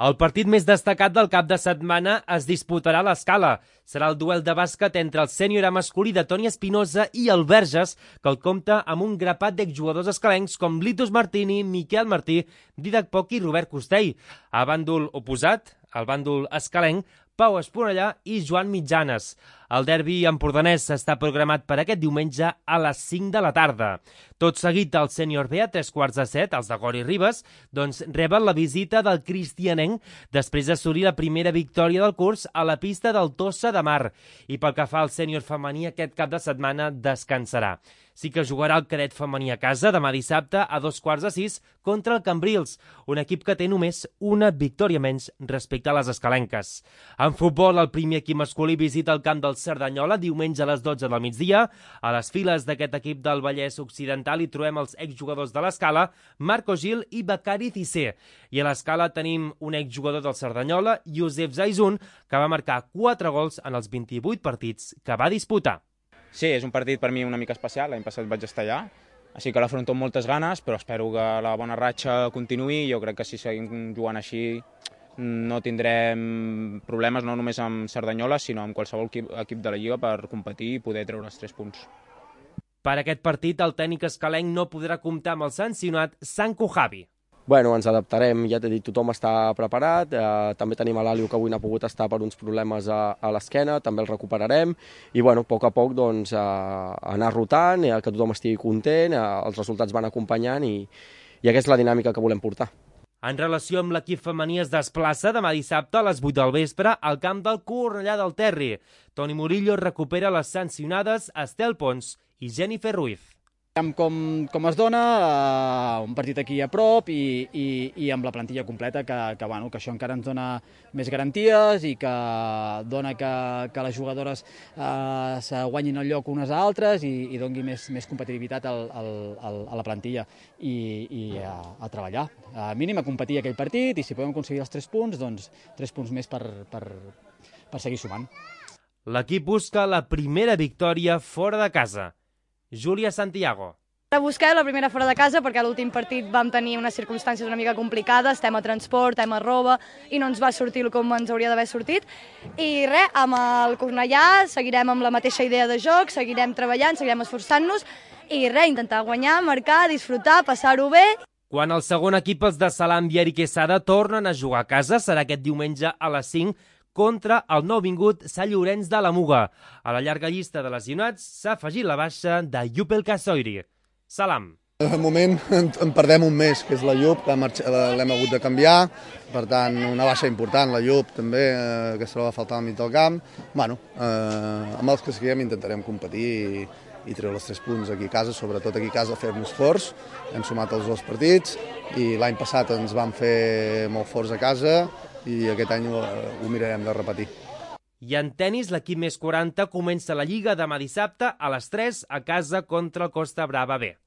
El partit més destacat del cap de setmana es disputarà a l'Escala. Serà el duel de bàsquet entre el sènior A masculí de Toni Espinosa i el Verges, que el compta amb un grapat d'exjugadors escalencs com Litus Martini, Miquel Martí, Didac Poc i Robert Costell. A bàndol oposat, el bàndol escalenc, Pau Esponellà i Joan Mitjanes. El derbi empordanès està programat per aquest diumenge a les 5 de la tarda. Tot seguit, el sènior B, a 6:45, els de Gori Ribes, reben la visita del Cristianenc després d'assolir la primera victòria del curs a la pista del Tossa de Mar. I pel que fa al sènior femení, aquest cap de setmana descansarà. Sí que jugarà el cadet femení a casa demà dissabte a 5:45 contra el Cambrils, un equip que té només una victòria menys respecte a les escalenques. En futbol, el primer equip masculí visita el camp del Cerdanyola diumenge a les 12 del migdia. A les files d'aquest equip del Vallès Occidental hi trobem els exjugadors de l'Escala, Marco Gil i Becari Cissé. I a l'Escala tenim un exjugador del Cerdanyola, Josep Zaizun, que va marcar 4 gols en els 28 partits que va disputar. Sí, és un partit per mi una mica especial, l'any passat vaig estar allà, així que l'afronto amb moltes ganes, però espero que la bona ratxa continuï. Jo crec que si seguim jugant així no tindrem problemes no només amb Cerdanyola, sinó amb qualsevol equip de la Lliga per competir i poder treure els 3 punts. Per aquest partit, el tècnic escalenc no podrà comptar amb el sancionat Sanko Javi. Bueno, ens adaptarem, ja t'he dit, tothom està preparat, també tenim a l'Àlio que avui no ha pogut estar per uns problemes a l'esquena, també el recuperarem i bueno, a poc anar rotant, que tothom estigui content, els resultats van acompanyant i aquesta és la dinàmica que volem portar. En relació amb l'equip femení es desplaça demà dissabte a les 8 del vespre al camp del Cornellà del Terri. Toni Murillo recupera les sancionades Estel Pons i Jennifer Ruiz. Com es dona, un partit aquí a prop i amb la plantilla completa, que això encara ens dona més garanties i que dona que les jugadores se guanyin el lloc unes a altres i doni més competitivitat a la plantilla i a treballar. A mínim a competir aquell partit i si podem aconseguir els 3 punts, doncs 3 punts més per seguir sumant. L'equip busca la primera victòria fora de casa. Júlia Santiago. Busquem la primera fora de casa perquè a l'últim partit vam tenir unes circumstàncies una mica complicades, tema transport, tema roba, i no ens va sortir com ens hauria d'haver sortit. I res, amb el Cornellà seguirem amb la mateixa idea de joc, seguirem treballant, seguirem esforçant-nos i res, intentar guanyar, marcar, disfrutar, passar-ho bé. Quan el segon equip, els de Salam i Eric Quesada, tornen a jugar a casa, serà aquest diumenge a les 5 contra el nouvingut Sant Llorenç de la Muga. A la llarga llista de lesionats s'ha afegit la baixa de Yupel Kasoiri. Salam. De moment en perdem un mes, que és la Llup, que l'hem hagut de canviar, per tant una baixa important, la Llup també, que es troba a faltar al mig del camp. Bueno, amb els que siguem intentarem competir i treure els 3 punts aquí a casa, sobretot aquí a casa fer-nos forts. Hem sumat els 2 partits i l'any passat ens vam fer molt forts a casa i aquest any ho mirarem de repetir. I en tenis, l'equip més 40 comença la Lliga demà dissabte a les 3 a casa contra el Costa Brava B.